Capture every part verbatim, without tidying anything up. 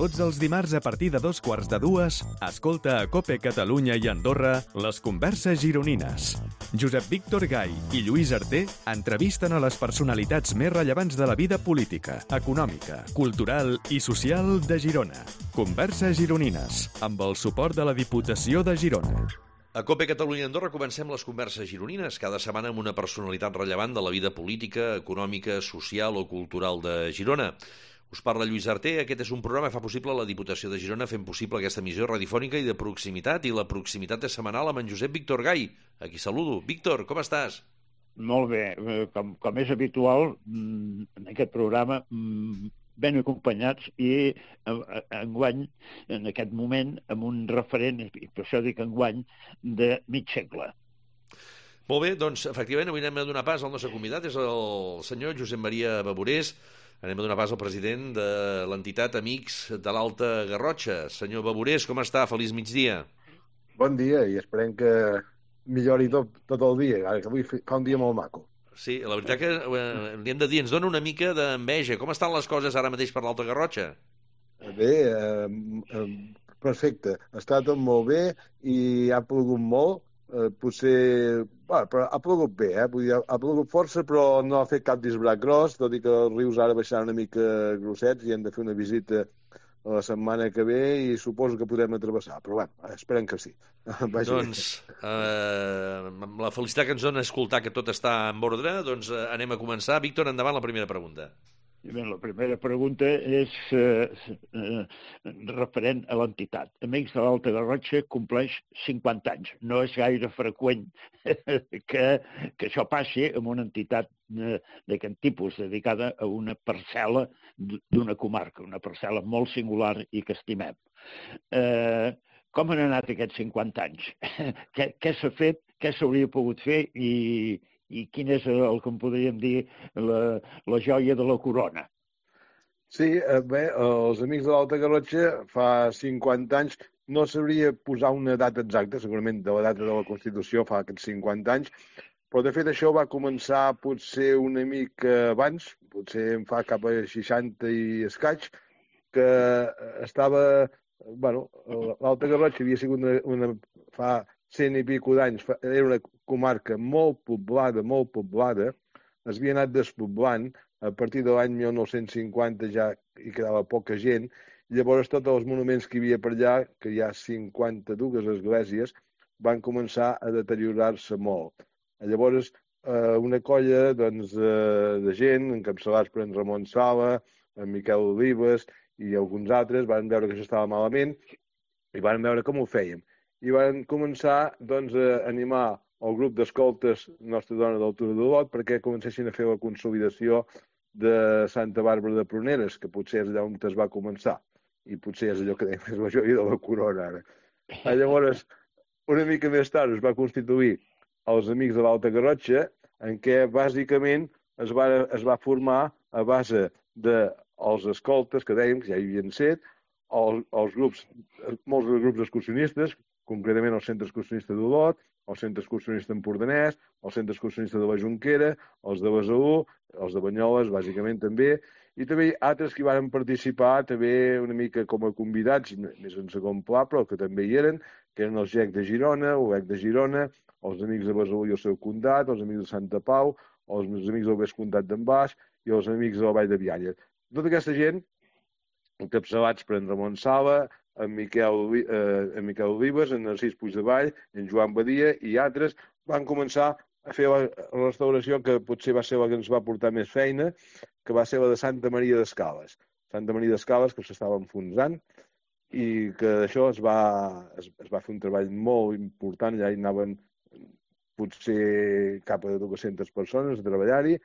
Tots els dimarts a partir de dos quarts de dues, escolta a COPE Catalunya i Andorra les converses gironines. Josep Víctor Gai i Lluís Arter entrevisten a les personalitats més rellevants de la vida política, econòmica, cultural i social de Girona. Converses gironines, amb el suport de la Diputació de Girona. A COPE Catalunya i Andorra comencem les converses gironines, cada setmana amb una personalitat rellevant de la vida política, econòmica, social o cultural de Girona. Us parla Lluís Arter. Aquest és un programa que fa possible la Diputació de Girona, fent possible aquesta emissió radiofònica i de proximitat, i la proximitat és setmanal amb en Josep Víctor Gai, a qui saludo. Víctor, com estàs? Molt bé. Com, com és habitual, en aquest programa, ben acompanyats i enguany, en aquest moment, amb un referent, i per això dic enguany, de mig segle. Molt bé, doncs, efectivament, avui anem a donar pas al nostre convidat, és el senyor Josep Maria Baburés. Anem a donar pas al president de l'entitat Amics de l'Alta Garrotxa. Senyor Baburés, com està? Feliç migdia. Bon dia, i esperem que millori tot, tot el dia, que avui fa un dia molt maco. Sí, la veritat que eh, li hem de dir, ens dona una mica d'enveja. Com estan les coses ara mateix per l'Alta Garrotxa? Bé, eh, eh, perfecte. Està tot molt bé i ha plogut molt. Eh, potser... Bueno, però ha plogut bé, eh? Vull dir, ha plogut força, però no ha fet cap disbrac gros, tot i que els rius ara baixaran una mica grossets i hem de fer una visita la setmana que ve i suposo que podrem atravessar, però bueno, esperem que sí. Vagi doncs, eh, amb la felicitat que ens dona escoltar que tot està en ordre, doncs eh, anem a començar. Víctor, endavant la primera pregunta. Bé, la primera pregunta és eh, eh, referent a l'entitat. Amics de l'Alta Garrotxa compleix cinquanta anys. No és gaire freqüent que, que això passi amb una entitat eh, d'aquest tipus, dedicada a una parcel·la d'una comarca, una parcel·la molt singular i que estimem. Eh, com han anat aquests cinquanta anys? què què s'ha fet? Què s'hauria pogut fer? I... i quin és el que en podríem dir la, la joia de la corona? Sí, bé, els Amics de l'Alta Garrotxa fa cinquanta anys, no sabria posar una data exacta, segurament de la data de la Constitució fa aquests cinquanta anys, però de fet això va començar potser una mica abans, potser en fa cap a seixanta i escaig, que estava... Bueno, l'Alta Garrotxa havia sigut una, una fa cent i pico d'anys, era una comarca molt poblada, molt poblada, es havia anat despoblant, a partir de l'any mil nou-cents cinquanta ja hi quedava poca gent, i llavors tots els monuments que hi havia per allà, que hi ha cinquanta-dues esglésies, van començar a deteriorar-se molt. Llavors, una colla doncs, de gent, encapçalats per en Ramon Sala, en Miquel Olives i alguns altres, van veure que això estava malament i van veure com ho fèiem. I van començar doncs, a animar el grup d'escoltes Nostra Dona del Turó d'Olot perquè comencessin a fer la consolidació de Santa Bàrbara de Pruneres, que potser és allà on es va començar. I potser és allò que dèiem, és la joia de la corona ara. Llavors, una mica més tard es va constituir els Amics de l'Alta Garrotxa, en què bàsicament es va, es va formar a base dels escoltes, que dèiem que ja hi havien set, els, els grups, molts grups excursionistes, concretament el Centre Excursionista d'Olot, el Centre Excursionista empordanès, el Centre Excursionista de la Jonquera, els de Besalú, els de Banyoles, bàsicament també, i també altres que hi van participar també una mica com a convidats, més en segon pla, però que també hi eren, que eren els G E C de Girona, o E C de Girona, els Amics de Besalú i el seu comtat, els Amics de Santa Pau, els Amics del Vescomtat d'en Baix i els Amics de la Vall de Bianya. Tota aquesta gent, encapçalats per en Ramon Sala, en Miquel, eh, en Miquel Olives, en Narcís Puigdevall, en Joan Badia i altres, van començar a fer la restauració que potser va ser la que ens va portar més feina, que va ser la de Santa Maria d'Escales. Santa Maria d'Escales, que s'estava enfonsant, i que d'això es va, es, es va fer un treball molt important, ja hi anaven potser cap a dues-centes persones a treballar-hi,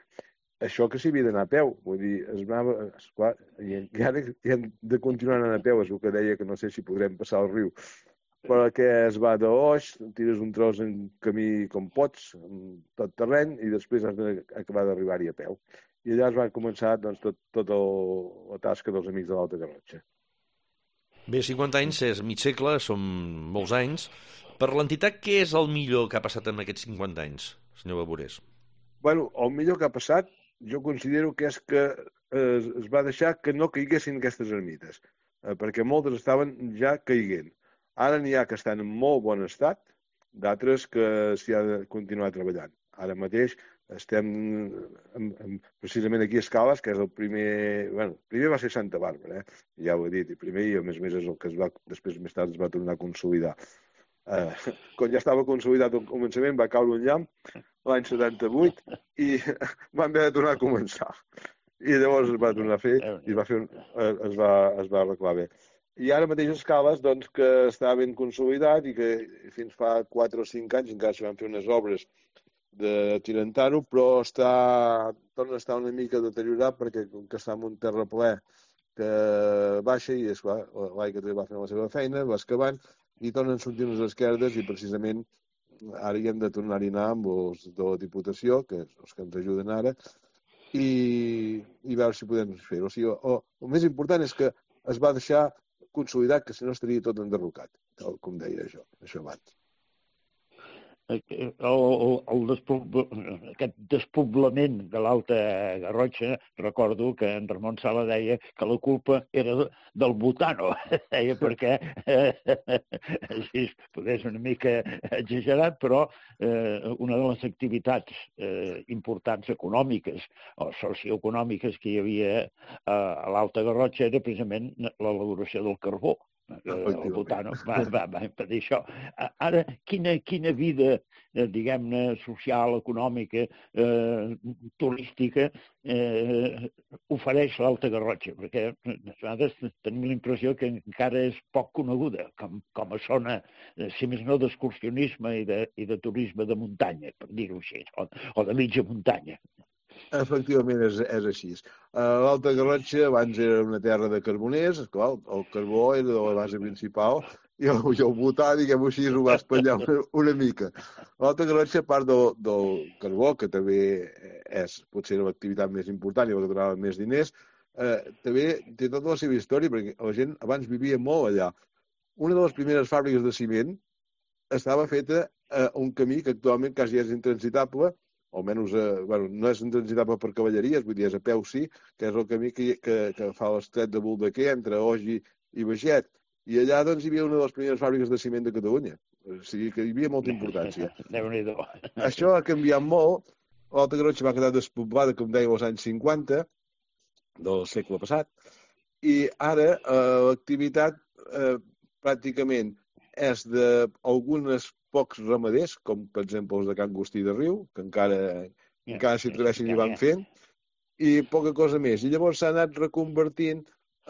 això que s'hi havia d'anar a peu, vull dir, es anava, esclar, i, i ara hi hem de continuar anant a peu, és el que deia, que no sé si podrem passar el riu, però que es va d'Oix, tires un tros en camí com pots, en tot terreny, i després has d'acabar d'arribar-hi a peu. I allà es va començar doncs, tot, tot el, la tasca dels Amics de l'Alta Garrotxa. Bé, cinquanta anys és mig segle, són molts anys. Per l'entitat, què és el millor que ha passat en aquests cinquanta anys, senyor Baburés? Bueno, el millor que ha passat jo considero que és que eh, es va deixar que no caiguessin aquestes ermites. eh, perquè moltes estaven ja caiguent. Ara n'hi ha que estan en molt bon estat, d'altres que s'hi ha de continuar treballant. Ara mateix estem en, en, precisament aquí a Escales, que és el primer... Bueno, primer va ser Santa Bàrbara, eh? Ja ho he dit, i primer, i a més a més és el que es va, després més tard es va tornar a consolidar. Eh, quan ja estava consolidat al començament va caure un llamp l'any setanta-vuit i van haver de tornar a començar. I llavors es va tornar a fer i es va, fer un, es va, es va arreglar bé. I ara mateix Escales, doncs, que està ben consolidat i que fins fa quatre o cinc anys encara s'hi van fer unes obres de tirantar-ho, però està, torna a estar una mica deteriorat perquè com que està en un terraplè que baixa i és clar, l'aigua també va fer la seva feina, va excavant i tornen sortint les esquerdes i precisament ara hi hem de tornar-hi anar amb els de la Diputació, que és els que ens ajuden ara, i, i veure si podem fer-ho. O sigui, o, el més important és que es va deixar consolidat, que si no estaria tot enderrocat, tal com deia això, això abans. El, el, el despobl... aquest despoblament de l'Alta Garrotxa, recordo que en Ramon Sala deia que la culpa era del botano, deia perquè, eh, si potser és una mica exagerat, però eh, una de les activitats eh, importants econòmiques o socioeconòmiques que hi havia a l'Alta Garrotxa era precisament l'elaboració del carbó. El botano va, va, va impedir això. Ara, quina, quina vida, eh, diguem-ne, social, econòmica, eh, turística, eh, ofereix l'Alta Garrotxa? Perquè a vegades tenim la impressió que encara és poc coneguda com, com a zona, si més no, d'excursionisme i, de, i de turisme de muntanya, per dir-ho així, o, o de mitja muntanya. Efectivament, és, és així. L'Alta Garrotxa abans era una terra de carboners, esclar, el carbó era de la base principal i el, i el botà, diguem-ho així, ho va espatllar una, una mica. L'Alta Garrotxa, a part del, del carbó, que també és potser l'activitat més important i la que donava més diners, eh, també té tota la seva història, perquè la gent abans vivia molt allà. Una de les primeres fàbriques de ciment estava feta a un camí que actualment quasi és intransitable, almenys eh, bueno, no és intransitable per cavalleries, vull dir, és a peu sí, que és el camí que, que, que fa l'estret de Boldequer entre Ogi i Beget. I allà doncs, hi havia una de les primeres fàbriques de ciment de Catalunya. O sigui que hi havia molta importància. Déu-n'hi-do. Això ha canviat molt. L'Alta Garrotxa va quedar despoblada, com deia, als anys cinquanta del segle passat. I ara eh, l'activitat eh, pràcticament és d'algunes pocs ramaders, com per exemple els de Can Agustí de Riu, que encara, yeah, encara s'hi atreveixen i van fent, i poca cosa més. I llavors s'ha anat reconvertint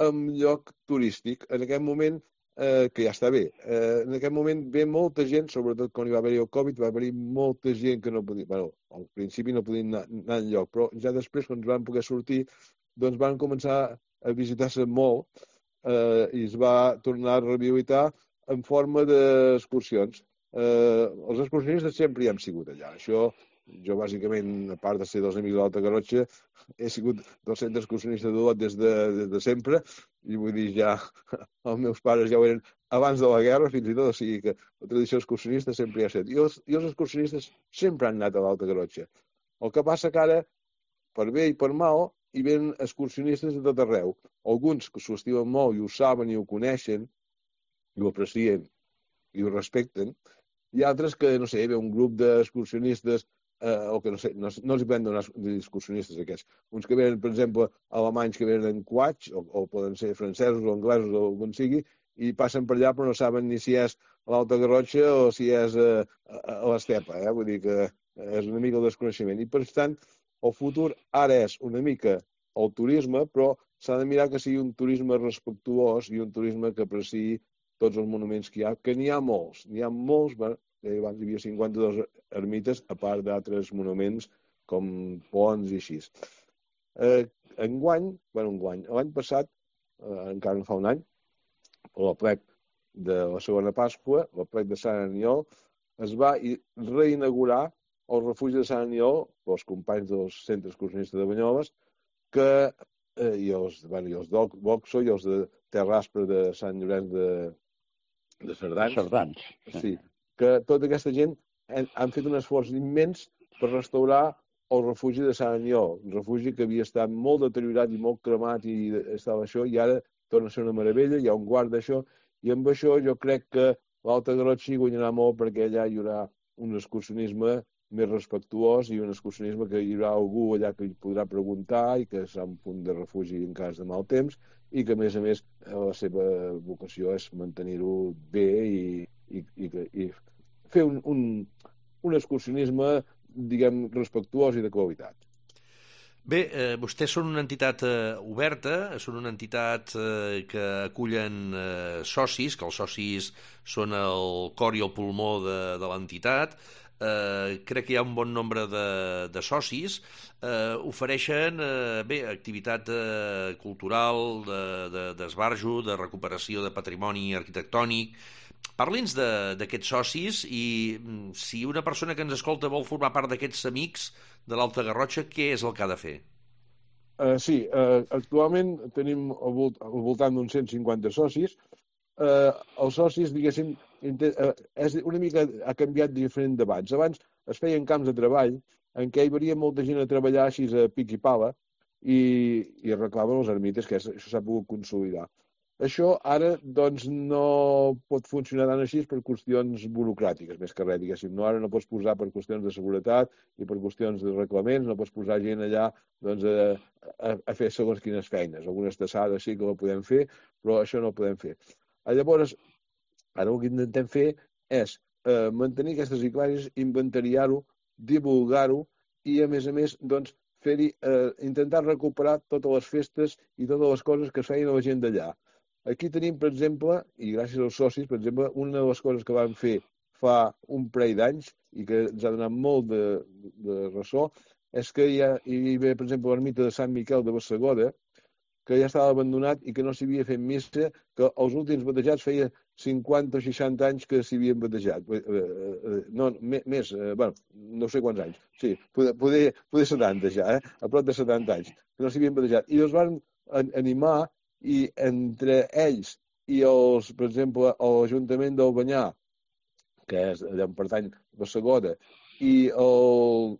en lloc turístic. En aquest moment, eh, que ja està bé, eh, en aquest moment ve molta gent, sobretot quan hi va haver el Covid, va haver molta gent que no podia... Bueno, al principi no podien anar, anar enlloc, però ja després, quan van poder sortir, doncs van començar a visitar-se molt eh, i es va tornar a rehabilitar en forma d'excursions. Eh, els excursionistes sempre hi hem sigut allà. Això, jo bàsicament, a part de ser dels Amics de l'Alta Garrotxa, he sigut del centre excursionista d'Olot des, de, des de sempre, i vull dir, ja els meus pares ja ho eren abans de la guerra, fins i tot, o sigui que la tradició excursionista sempre hi ha estat. I els, i els excursionistes sempre han anat a l'Alta Garrotxa. El que passa que ara, per bé i per mal, hi venen excursionistes de tot arreu. Alguns que s'ho estimen molt i ho saben i ho coneixen, i ho aprecien i ho respecten, i altres que, no sé, ve un grup d'excursionistes, eh, o que no sé, no, no els hi poden donar excursionistes aquests. Uns que venen, per exemple, alemanys que venen en coach, o, o poden ser francesos o anglesos o com sigui, i passen per allà però no saben ni si és a l'Alta Garrotxa o si és a, a, a l'Estepa, eh? Vull dir que és una mica el desconeixement. I per tant, el futur ara és una mica el turisme, però s'ha de mirar que sigui un turisme respectuós i un turisme que apreciï tots els monuments que hi ha, que n'hi ha molts. N'hi ha molts, bueno, abans hi havia cinquanta-dos ermites, a part d'altres monuments com ponts i així. Eh, enguany, bueno, enguany, l'any passat, eh, encara no fa un any, a l'aplec de la segona Pasqua, l'aplec de Sant Aniol, es va reinaugurar el refugi de Sant Aniol pels companys dels centres excursionistes de Banyoles, que, eh, i els, bueno, i els d'Oxo i els de Terraspre de Sant Llorenç de de Cerdans, Cerdans. Sí, que tota aquesta gent han, han fet un esforç immens per restaurar el refugi de Sant Aniol, un refugi que havia estat molt deteriorat i molt cremat i estava això, i ara torna a ser una meravella, hi ha un guard d'això, i amb això jo crec que l'Alta Garrotxa hi guanyarà molt perquè allà hi haurà un excursionisme més respectuós i un excursionisme que hi haurà algú allà que hi podrà preguntar i que serà un punt de refugi en cas de mal temps i que, a més a més, la seva vocació és mantenir-ho bé i, i, i, i fer un, un, un excursionisme, diguem, respectuós i de qualitat. Bé, eh, vostès són una entitat eh, oberta, són una entitat eh, que acullen eh, socis, que els socis són el cor i el pulmó de, de l'entitat. Eh, crec que hi ha un bon nombre de, de socis, eh, ofereixen eh, bé, activitat eh, cultural, d'esbarjo, de, de, de recuperació de patrimoni arquitectònic. Parli'ns d'aquests socis i si una persona que ens escolta vol formar part d'aquests amics de l'Alta Garrotxa, què és el que ha de fer? Uh, sí, uh, actualment tenim al, volt al voltant d'uns cent cinquanta socis. Uh, els socis, diguéssim, uh, és una mica ha canviat diferent d'abans. Abans es feien camps de treball en què hi venia molta gent a treballar així a pic i pala i, i reclamen els ermites, que això s'ha pogut consolidar. Això ara doncs, no pot funcionar tant així per qüestions burocràtiques, més que res, diguéssim. No, ara no pots posar per qüestions de seguretat i per qüestions de reglaments, no pots posar gent allà doncs, a, a, a fer segons quines feines. Algunes tassades sí que ho podem fer, però això no ho podem fer. Llavors, ara el que intentem fer és eh, mantenir aquestes iclàries, inventariar-ho, divulgar-ho i, a més a més, doncs, fer-hi, eh, intentar recuperar totes les festes i totes les coses que es feien a la gent d'allà. Aquí tenim, per exemple, i gràcies als socis, per exemple, una de les coses que vam fer fa un parell d'anys i que ens ha donat molt de, de ressò, és que hi, ha, hi ve, per exemple, l'ermita de Sant Miquel de Bassegoda, que ja estava abandonat i que no s'hi havia fet missa, que els últims batejats feia cinquanta o seixanta anys que s'hi havien batejat. No, més, bueno, no sé quants anys. Sí, poder, poder, poder setanta ja, eh? A prop de setanta anys, que no s'hi havien batejat. I els van animar i entre ells i els, per exemple, l'Ajuntament d'Albanyà, que és allà on pertany Bassegoda, i, el,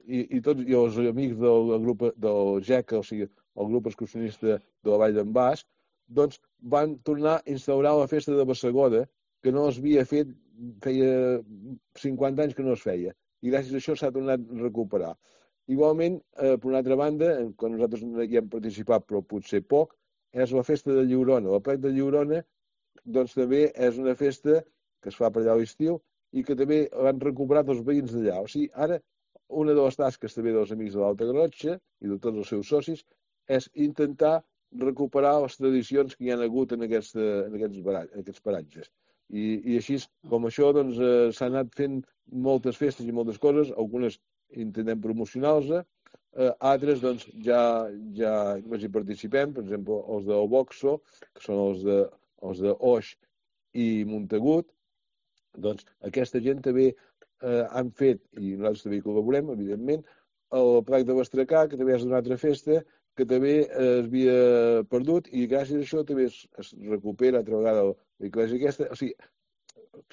i, i tots i els amics del grup del G E C, o sigui, el grup excursionista de la Vall d'en Bas, doncs van tornar a instaurar la festa de Bassegoda, que no es havia fet, feia cinquanta anys que no es feia, i gràcies a això s'ha tornat a recuperar. Igualment, eh, per una altra banda, quan nosaltres hi hem participat, però potser poc, és la festa de Lliurona. La plec de Lliurona doncs, també és una festa que es fa per allà a l'estiu i que també l'han recuperat els veïns d'allà. O sigui, ara, una de les tasques també dels amics de l'Alta Garrotxa i de tots els seus socis és intentar recuperar les tradicions que hi ha hagut en aquests, en aquests, baratges, en aquests paratges. I, i així, com això, doncs, eh, s'han anat fent moltes festes i moltes coses, algunes intentem promocionar-les, Uh, altres doncs, ja, ja només hi participem, per exemple, els del Boxo, que són els de, els de Oix i Montagut. Doncs aquesta gent també uh, han fet, i nosaltres també hi col·laborem, evidentment, el Plec de Bastracà, que també és una altra festa, que també uh, es havia perdut, i gràcies a això també es, es recupera altra vegada l'església aquesta. O sigui,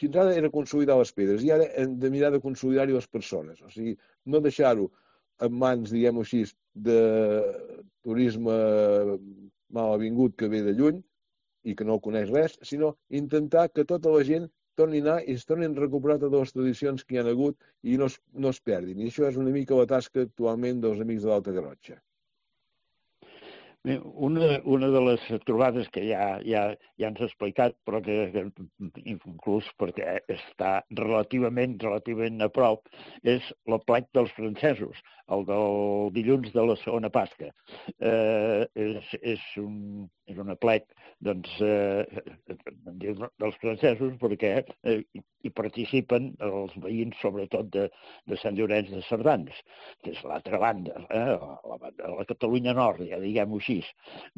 fins ara era consolidar les pedres, i ara hem de mirar de consolidar-hi les persones. O sigui, no deixar-ho en mans, diguem-ho així, de turisme mal avingut que ve de lluny i que no coneix res, sinó intentar que tota la gent torni a anar i es tornin a recuperar totes les tradicions que hi ha hagut i no es, no es perdin. I això és una mica la tasca actualment dels amics de l'Alta Garrotxa. Una, una de les trobades que ja, ja, ja ens ha explicat, però que, que inclús perquè està relativament, relativament a prop, és la plec dels francesos, el del dilluns de la segona Pasca. Eh, és, és, un, és una plec doncs, eh, dels francesos perquè eh, hi participen els veïns, sobretot de, de Sant Llorenç de Cerdans, que és l'altra banda, eh, la, la Catalunya Nord, ja diguem-ho així.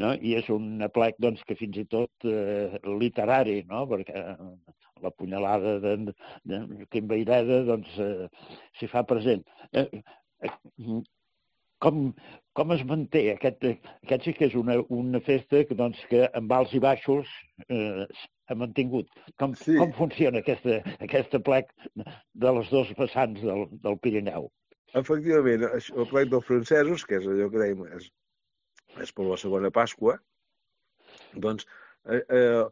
No? I és un plec doncs, que fins i tot eh, literari, no? Perquè la punyalada de, de, de Quim Vayreda doncs, eh, s'hi fa present. Eh, eh, com, com es manté? Aquest, aquest sí que és una, una festa que, doncs, que amb alts i baixos eh, ha mantingut. Com, sí. Com funciona aquesta, aquesta plec de les dos vessants del, del Pirineu? Efectivament, el plec dels francesos, que és allò que dèiem, és és per la segona Pasqua, doncs eh, eh,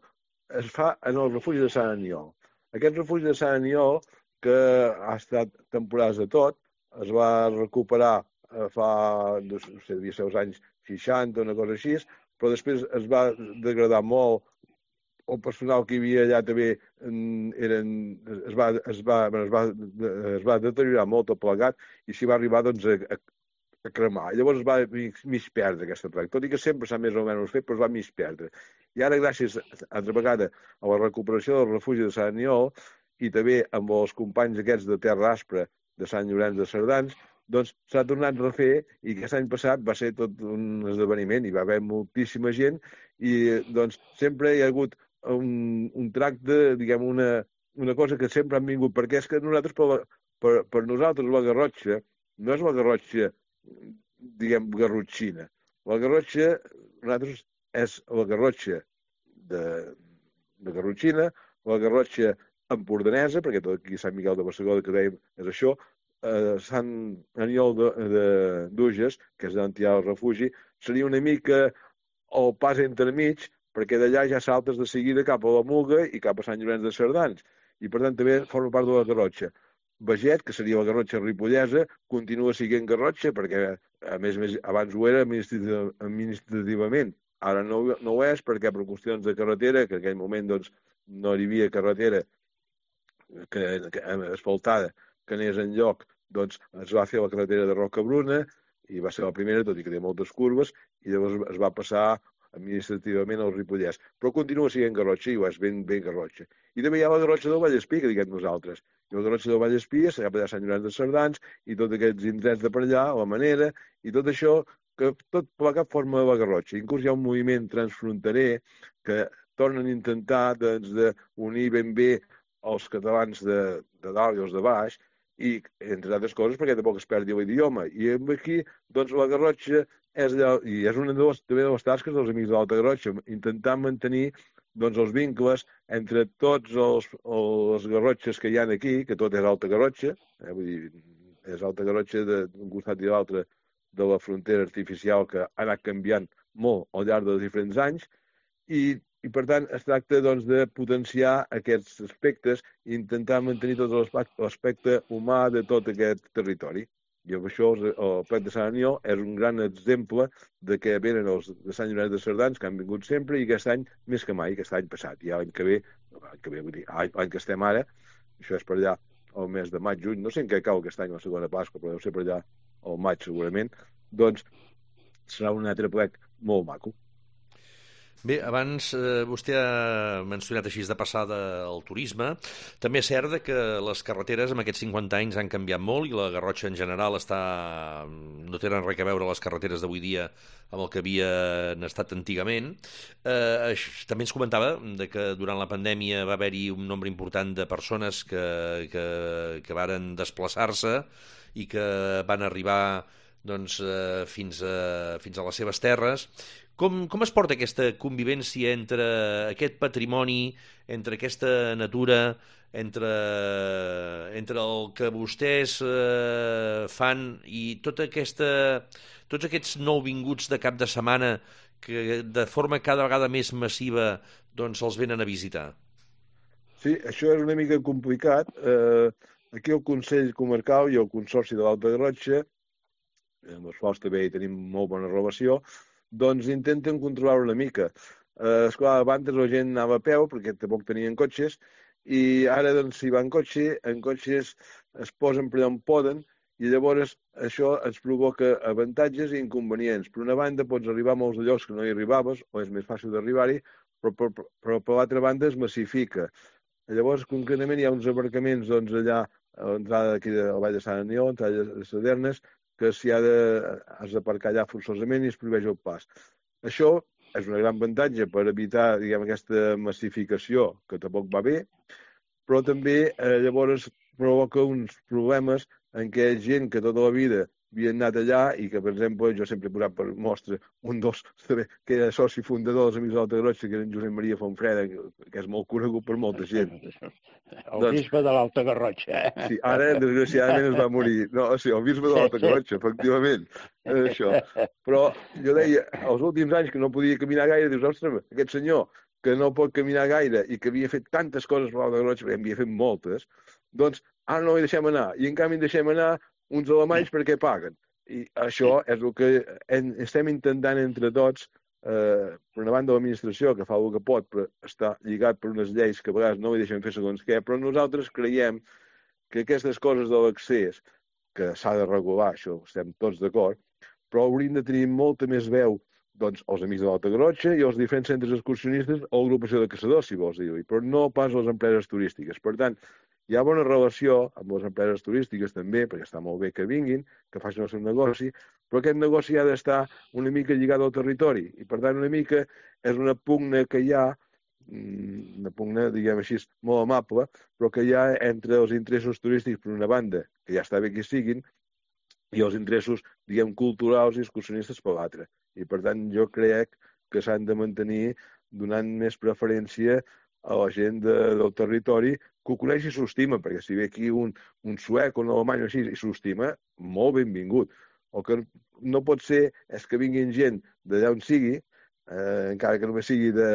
es fa en el refugi de Sant Aniol. Aquest refugi de Sant Aniol, que ha estat temporades de tot, es va recuperar eh, fa, no sé, devia ser els anys seixanta, una cosa així, però després es va degradar molt. El personal que hi havia allà també eren, es, va, es, va, es, va, es va deteriorar molt el plegat i s'hi va arribar doncs, a, a cremar. I llavors es va mig perdre aquesta pràctica, tot i que sempre s'ha més o menys fet, però es va mig perdre. I ara, gràcies, altra vegada, a la recuperació del refugi de Sant Aniol i també amb els companys aquests de Terra Aspra de Sant Llorenç de Cerdans, doncs s'ha tornat a refer i aquest any passat va ser tot un esdeveniment, hi va haver moltíssima gent i doncs sempre hi ha hagut un, un tracte, diguem, una, una cosa que sempre han vingut, perquè és que nosaltres, per, per, per nosaltres, la Garrotxa no és la Garrotxa, diguem, garrotxina. La Garrotxa, nosaltres, és la Garrotxa de, de Garrotxina, la Garrotxa empordanesa, perquè tot aquí Sant Miquel de Bassegoda, que dèiem, és això, eh, Sant Aniol d'Uges, que és d'on hi ha el refugi, seria una mica el pas entremig, perquè d'allà ja saltes de seguida cap a la Muga i cap a Sant Llorenç de Cerdans. I, per tant, també forma part de la Garrotxa. Beget, que seria la Garrotxa ripollesa, continua sent Garrotxa, perquè, a més, més abans ho era administrativament. Ara no, no ho és, perquè per qüestions de carretera, que en aquell moment doncs, no hi havia carretera que, que, asfaltada que anés enlloc, doncs es va fer la carretera de Rocabruna, i va ser la primera, tot i que té moltes curves, i llavors es va passar administrativament al Ripollès. Però continua sent Garrotxa i ho és ben, ben Garrotxa. I també hi ha la Garrotxa del Vallespí, que diguem nosaltres. I la Garrotxa del Vallespí, s'ha allà Sant Llorenç de Cerdans, i tots aquests indrets de per allà, la Manera, i tot això, que tot plegat forma la Garrotxa. Inclús hi ha un moviment transfronterer que tornen a intentar doncs, d'unir ben bé els catalans de, de dalt i els de baix, i, entre altres coses, perquè tampoc es perdi l'idioma. I aquí, doncs, la Garrotxa és, allà, i és una de les, també de les tasques dels Amics de l'Alta Garrotxa, intentar mantenir doncs, els vincles entre tots els, els garrotxes que hi ha aquí, que tot és Alta Garrotxa, eh, vull dir, és Alta Garrotxa d'un costat i l'altre de la frontera artificial que ha anat canviant molt al llarg dels diferents anys, i, i per tant es tracta doncs, de potenciar aquests aspectes i intentar mantenir tot l'aspecte humà de tot aquest territori. I amb això el Plet de Sant Aniol és un gran exemple de que venen els de Sant Llorenç de Cerdans, que han vingut sempre, i aquest any més que mai, aquest any passat. I l'any que ve, l'any que ve, vull dir, l'any que estem ara, això és per allà el mes de maig, juny, no sé en què cau aquest any la segona Pasqua, però deu ser per allà al maig segurament, doncs serà un altre plec molt maco. Bé, abans eh, vostè ha mencionat així de passada el turisme. També és cert que les carreteres en aquests cinquanta anys han canviat molt i la Garrotxa en general està... no tenen res a veure les carreteres d'avui dia amb el que havien estat antigament. Eh, també ens comentava de que durant la pandèmia va haver-hi un nombre important de persones que, que, que varen desplaçar-se i que van arribar doncs, eh, fins, a, fins a les seves terres. Com, com es porta aquesta convivència entre aquest patrimoni, entre aquesta natura, entre, entre el que vostès eh, fan i tota aquesta, tots aquests nouvinguts de cap de setmana que de forma cada vegada més massiva doncs, els venen a visitar? Sí, això és una mica complicat. Eh, aquí el Consell Comarcal i el Consorci de l'Alta Garrotxa, amb els quals també hi tenim molt bona relació, doncs intenten controlar una mica. Eh, esclar, abans la gent anava a peu, perquè tampoc tenien cotxes, i ara, doncs, si va en cotxe, en cotxes es posen per allà on poden, i llavors això ens provoca avantatges i inconvenients. Per una banda, pots arribar a molts llocs que no hi arribaves, o és més fàcil d'arribar-hi, però, però, però per l'altra banda es massifica. Llavors, concretament, hi ha uns aparcaments doncs, allà a l'entrada d'aquí de la Vall de Sant Aniol, a l'entrada de Sadernes, que si ha de, has d'aparcar allà forçosament i es prohibeix el pas. Això és un gran avantatge per evitar, diguem, aquesta massificació, que tampoc va bé, però també eh, llavors provoca uns problemes en què gent que tota la vida havien anat allà i que, per exemple, jo sempre he posat per mostra un dels que era soci fundador dels Amics de l'Alta Garrotxa, que era en Josep Maria Fonfreda, que és molt conegut per molta gent. El doncs, bisbe de l'Alta Garrotxa. Eh? Sí, ara, desgraciadament, es va morir. No, sí, el bisbe de l'Alta Garrotxa, efectivament. Això. Però jo deia, els últims anys que no podia caminar gaire, dius, ostres, aquest senyor que no pot caminar gaire i que havia fet tantes coses per l'Alta Garrotxa, perquè en havia fet moltes, doncs ara no hi deixem anar. I en canvi deixem anar uns alemanys perquè paguen. I això és el que estem intentant entre tots, eh, per una banda l'administració, que fa el que pot, però està lligat per unes lleis que a vegades no hi deixen fer segons què, però nosaltres creiem que aquestes coses de l'accés, que s'ha de regular, això estem tots d'acord, però hauríem de tenir molta més veu doncs, els Amics de l'Alta Garrotxa i els diferents centres excursionistes o agrupació de caçadors, si vols dir-ho, però no pas les empreses turístiques. Per tant, hi ha bona relació amb les empreses turístiques també, perquè està molt bé que vinguin, que facin el seu negoci, però aquest negoci ha d'estar una mica lligat al territori i, per tant, una mica és una pugna que hi ha, una pugna, diguem així, molt amable, però que hi ha entre els interessos turístics per una banda, que ja està bé que siguin, i els interessos, diguem, culturals i excursionistes per l'altra. I, per tant, jo crec que s'han de mantenir donant més preferència a la gent de, del territori que ho coneix i s'ho estima, perquè si ve aquí un, un suec o un alemany o així i s'ho estima, molt benvingut. El que no pot ser és que vinguin gent d'allà on sigui, eh, encara que només sigui de,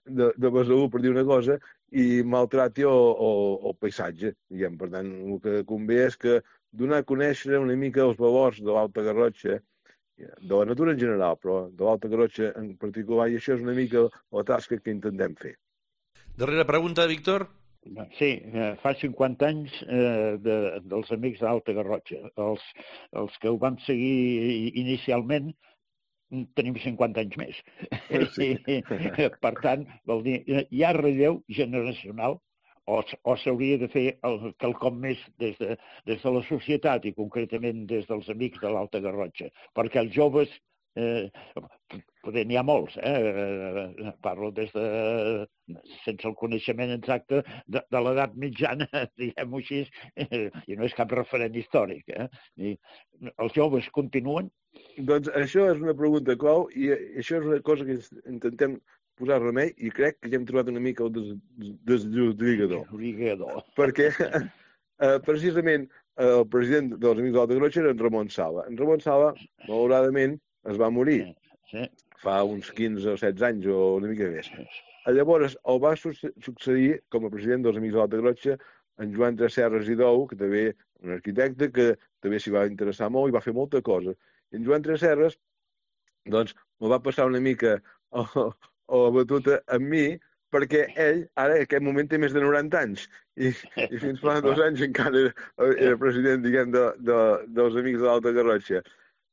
de, de Besalú, per dir una cosa, i maltrati el, el, el paisatge. Diguem. Per tant, el que convé és que donar a conèixer una mica els valors de l'Alta Garrotxa, de la natura en general, però de l'Alta Garrotxa en particular, i això és una mica la tasca que intentem fer. Darrera pregunta, Víctor. Sí, fa cinquanta anys eh, de, dels Amics de l'Alta Garrotxa. Els, els que ho vam seguir inicialment tenim cinquanta anys més. Sí. I, per tant, vol dir, hi ha relleu generacional o, o s'hauria de fer el, quelcom més des de, des de la societat i concretament des dels Amics de l'Alta Garrotxa, perquè els joves Eh, poder n'hi ha molts, eh? Parlo des de, sense el coneixement exacte, de, de l'edat mitjana, diguem-ho així, eh, i no és cap referent històric. Eh? I els joves continuen? Doncs això és una pregunta clau i això és una cosa que intentem posar remei i crec que ja hem trobat una mica el des, desllorigador. Desllorigador. Perquè eh, precisament el president dels Amics de l'Alta Garrotxa era en Ramon Sala. En Ramon Sala, malauradament, es va morir sí, sí. fa uns quinze o setze anys o una mica més. Llavors el va succeir com a president dels Amics de l'Alta Garrotxa en Joan Tresserras i Dou, que també un arquitecte que també s'hi va interessar molt i va fer molta cosa. I en Joan Tresserras, doncs, me va passar una mica a la batuta amb mi, perquè ell ara en aquest moment té més de noranta anys i, i fins fa dos anys encara era, era president, diguem, de, de, dels Amics de l'Alta Garrotxa.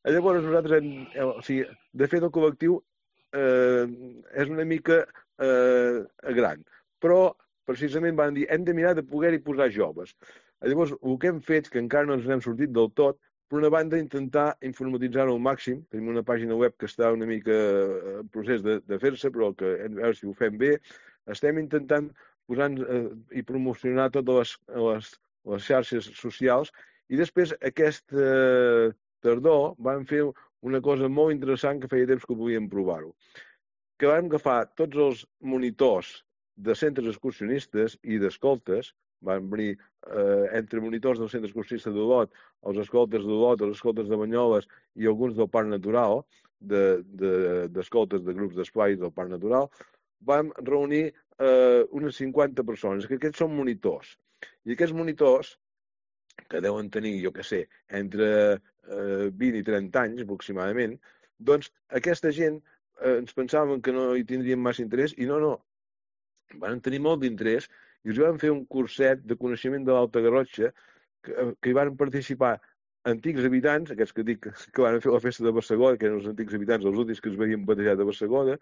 Llavors nosaltres, o sigui, de fet el col·lectiu eh, és una mica eh, gran, però precisament van dir hem de mirar de poder-hi posar joves. Llavors el que hem fet, que encara no ens n'hem sortit del tot, per una banda intentar informatitzar-ho al màxim, tenim una pàgina web que està una mica en procés de, de fer-se, però que a veure si ho fem bé, estem intentant posar eh, i promocionar totes les, les, les xarxes socials i després aquesta eh, tardor vam fer una cosa molt interessant que feia temps que volíem provar-ho. Que vam agafar tots els monitors de centres excursionistes i d'escoltes, van venir eh, entre monitors del centre excursionista d'Olot, els escoltes d'Olot, els escoltes de Banyoles i alguns del Parc Natural, d'escoltes de, de, de grups d'esplai del Parc Natural, vam reunir eh, unes cinquanta persones, que aquests són monitors. I aquests monitors, que deuen tenir, jo què sé, entre eh, vint i trenta anys aproximadament, doncs aquesta gent eh, ens pensàvem que no hi tindrien massa interès i no, no, van tenir molt d'interès i us van fer un curset de coneixement de l'Alta Garrotxa que, que hi van participar antics habitants, aquests que dic que van fer la festa de Bassegoda, que eren els antics habitants, els últims que es veien batejat de Bassegoda,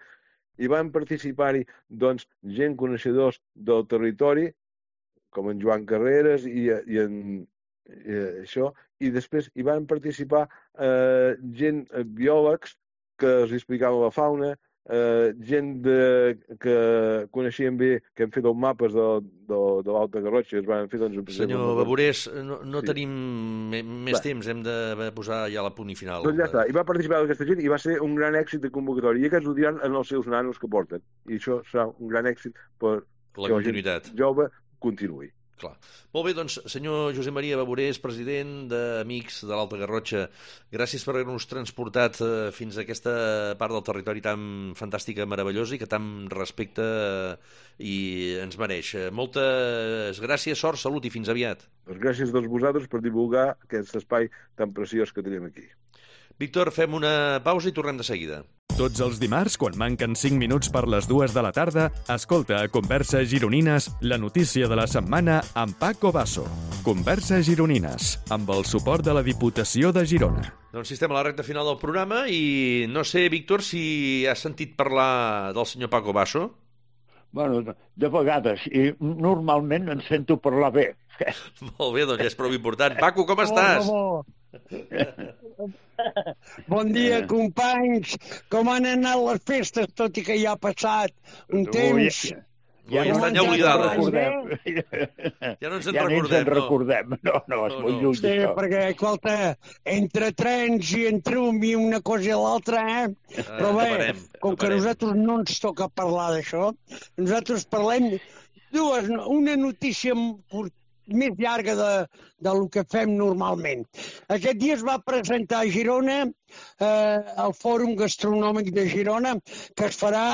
i van participar-hi doncs, gent coneixedors del territori, com en Joan Carreras i, i en i això, i després hi van participar eh, gent, eh, biòlegs, que els explicava la fauna, eh, gent de, que coneixien bé, que hem fet els mapes de, de, de l'Alta Garrotxa, es van fer, doncs... Senyor Baburés, no, no Sí. tenim me- més Va. temps, hem de posar ja la punt i final. Doncs ja està, i va participar aquesta gent i va ser un gran èxit de convocatòria, i aquests ho diran en els seus nanos que porten, i això serà un gran èxit per La que la continuïtat. gent jove continuï. Clar. Molt bé, doncs, senyor Josep Maria Baburés, president d'Amics de l'Alta Garrotxa, gràcies per haver-nos transportat eh, fins a aquesta part del territori tan fantàstica, meravellosa i que tant respecte eh, i ens mereix. Eh, Moltes gràcies, sort, salut i fins aviat. Doncs gràcies a tots vosaltres per divulgar aquest espai tan preciós que tenim aquí. Víctor, fem una pausa i tornem de seguida. Tots els dimarts, quan manquen cinc minuts per les dues de la tarda, escolta a Converses Gironines la notícia de la setmana amb Paco Basso. Converses Gironines, amb el suport de la Diputació de Girona. Doncs sí, estem a la recta final del programa i no sé, Víctor, si has sentit parlar del senyor Paco Basso. Bueno, de vegades, i normalment en sento parlar bé. Molt bé, doncs ja és prou important. Paco, com estàs? Oh, bon dia, companys. Com han anat les festes, tot i que ja ha passat un temps? Ja, ja estan ja oblidades. Ja no ens en ja recordem. Ja no. recordem. No, no, és No, molt no. lluny. Sí, això. perquè, escolta, entre trens i entre un i una cosa i l'altra, eh? Però bé, acabarem, com que acabarem. nosaltres no ens toca parlar d'això, nosaltres parlem dues, una notícia curt- més llarga de, del que fem normalment. Aquest dia es va presentar a Girona eh, el Fòrum Gastronòmic de Girona, que es farà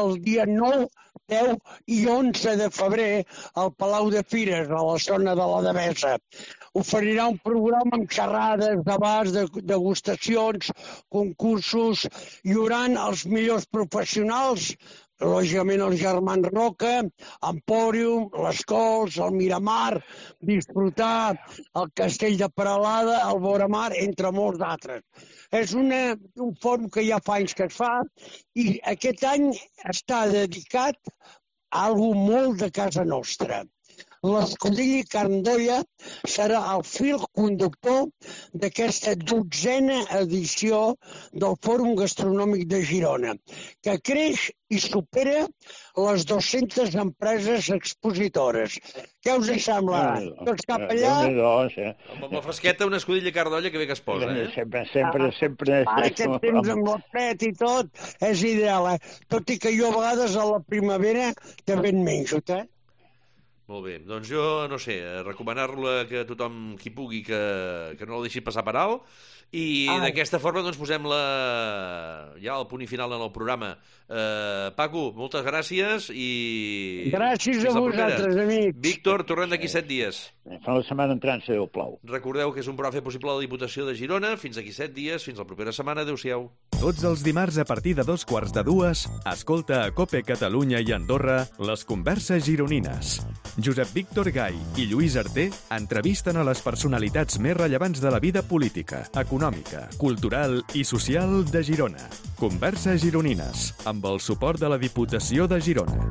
el dia nou, deu i onze de febrer al Palau de Fires, a la zona de la Devesa. Oferirà un programa amb xerrades, debats, de, degustacions, concursos, hi haurà els millors professionals, lògicament els germans Roca, Empòrium, les Cols, el Miramar, disfrutar el Castell de Peralada, el Voramar, entre molts d'altres. És una, un fòrum que ja fa anys que es fa i aquest any està dedicat a algú molt de casa nostra. L'escudella i carn d'olla serà el fil conductor d'aquesta dotzena edició del Fòrum Gastronòmic de Girona, que creix i supera les dues-centes empreses expositores. Què us sembla? Tots cap allà? Déu-n'hi-do, Amb la fresqueta, una escudella carn d'olla que bé que es posa, eh? Sempre, sempre, sempre... Ara aquest temps amb el fred i tot és ideal, eh? Tot i que jo a vegades a la primavera també en menjo, eh? Molt bé, doncs jo, no sé, recomanar-la que tothom qui pugui que, que no la deixi passar per alt i Ai. d'aquesta forma doncs posem la... ja el punt i final en el programa. Eh, Paco, moltes gràcies i... Gràcies fins a la propera. vosaltres, amics. Víctor, tornem d'aquí set dies. Fa la setmana entrant, si Déu plau. Recordeu que és un programa fet possible a la Diputació de Girona. Fins aquí set dies, fins la propera setmana. Adéu-siau. Tots els dimarts a partir de dos quarts de dues, escolta a COPE Catalunya i Andorra les Converses Gironines. Josep Víctor Gai i Lluís Arter entrevisten a les personalitats més rellevants de la vida política, econòmica, cultural i social de Girona. Converses Gironines, amb el suport de la Diputació de Girona.